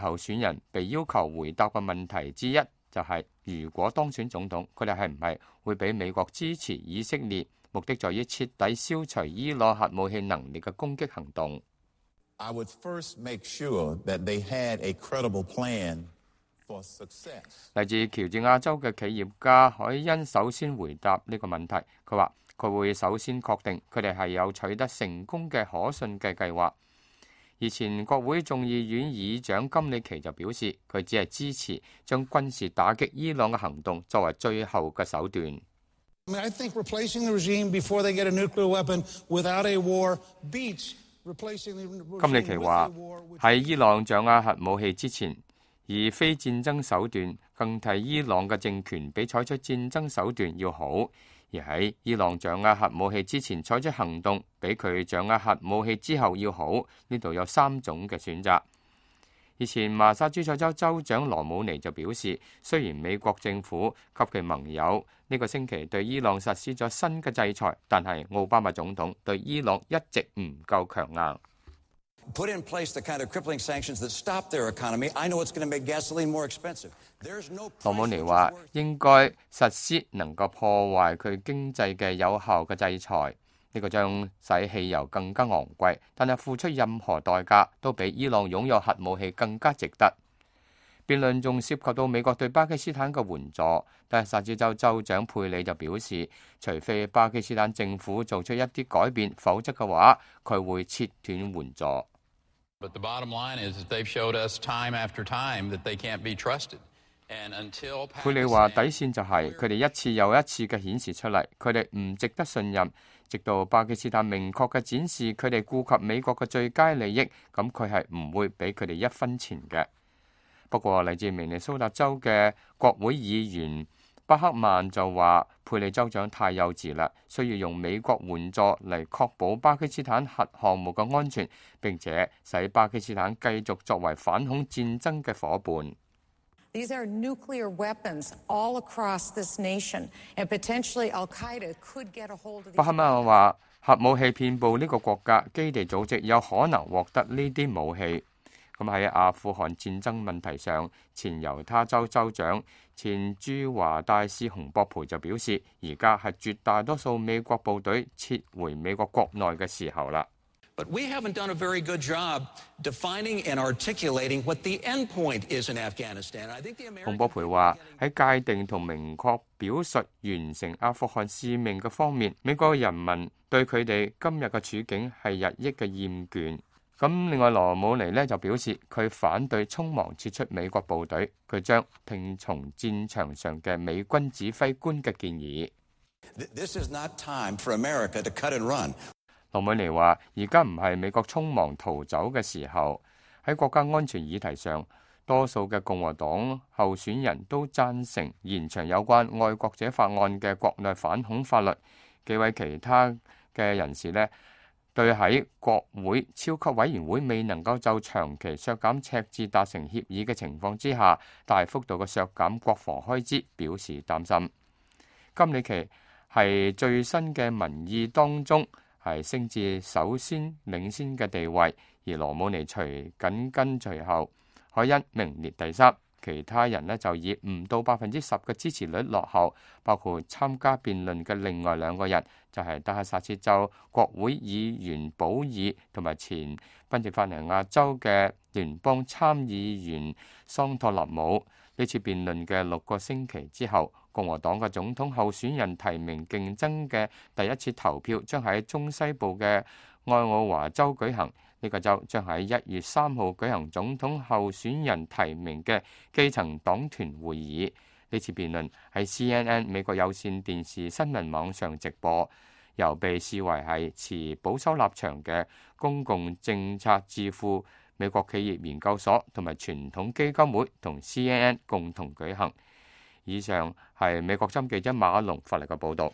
候選人被要求回答嘅問題之一就係，如果當選總統，佢哋係唔係會俾美國支持以色列，目的在於徹底消除伊朗核武器能力嘅攻擊行動。I would first make sure that they had a credible plan for success. 嚟自喬治亞州嘅企業家海恩首先回答呢個問題，佢話佢會首先確定佢哋係有取得成功嘅可信嘅計劃。而前國會眾議院議長金里奇就表示，佢只係支持將軍事打擊伊朗嘅行動作為最後嘅手段。I think replacing the regime before they get a nuclear weapon without a war beats replacing the regime. 金里奇話喺伊朗掌握核武器之前，以非戰爭手段更替伊朗嘅政權比採取戰爭手段要好。而喺伊朗掌握核武器之前採取行動，比佢掌握核武器之後要好。呢度有3種嘅選擇。以前麻薩諸塞州州長羅姆尼就表示，雖然美國政府及其盟友呢個星期對伊朗實施咗新嘅制裁，但係奧巴馬總統對伊朗一直唔夠強硬。Put in place the kind of crippling sanctions that stop their economy. I know it's going to make gasoline more expensive. There's no. 羅姆尼話應該實施能夠破壞佢經濟嘅有效嘅制裁，呢個將使汽油更加昂貴，但係付出任何代價都比伊朗擁有核武器更加值得。辯論仲涉及到美國對巴基斯坦嘅援助，但係薩茲州州長佩里就表示，除非巴基斯坦政府做出一啲改變，否則嘅話佢會切斷援助。But the bottom line is that they've showed us time after time that they can't be trusted. And until 佩里話底線就係佢哋一次又一次嘅顯示出嚟，佢哋唔值得信任。直到巴基斯坦明確嘅展示佢哋顧及美國嘅最佳利益，咁佢係唔會俾佢哋一分錢嘅。不過嚟自明尼蘇達州嘅國會議員巴克曼就話，佩里州長太幼稚啦，需要用美國援助嚟確保巴基斯坦核項目嘅安全，並且使巴基斯坦繼續作為反恐戰爭嘅夥伴。These are nuclear weapons all across this nation, and potentially Al-Qaeda could get a hold of. 巴克曼話，核武器遍佈呢個國家，基地組織有可能獲得呢啲武器。咁喺阿富汗戰爭問題上，前猶他州州長、前駐華大使洪博培就表示，而家係絕大多數美國部隊撤回美國國內嘅時候啦。But we haven't done a very good job defining and articulating what the end point is in Afghanistan. I think the American 洪博培話喺界定同明確表述完成阿富汗使命嘅方面，美國人民對佢哋今日嘅處境係日益嘅厭倦。咁另外羅姆尼呢就表示佢反對匆忙撤出美國部隊，佢將聽從戰場上嘅美軍指揮官嘅建議。This is not time for America to cut and run. 羅姆尼話：而家唔係美國匆忙逃走嘅時候。喺國家安全議題上，多數嘅共和黨候選人都贊成延長有關愛國者法案嘅國內反恐法律。幾位其他嘅人士呢，對喺國會超級委員會未能夠就長期削減赤字達成協議嘅情況之下，大幅度嘅削減國防開支表示擔心。金里奇係最新嘅民意當中係升至首先領先嘅地位，而羅姆尼緊跟隨後，海恩名列第3，其他人呢就以唔到10%嘅支持率落後，包括參加辯論嘅另外2個人，就係德克薩斯州國會議員保爾同埋前賓夕法尼亞州嘅聯邦參議員桑托納姆。呢次辯論嘅6個星期之後，共和黨嘅總統候選人提名競爭嘅第一次投票將喺中西部嘅愛奧華州舉行。呢個州將喺1月3號舉行總統候選人提名嘅基層黨團會議。呢次辯論喺 CNN 美國有線電視新聞網上直播，由被視為係持保守立場嘅公共政策智庫美國企業研究所同埋傳統基金會同 CNN 共同舉行。以上係美國之音記者馬龍發嚟嘅報導。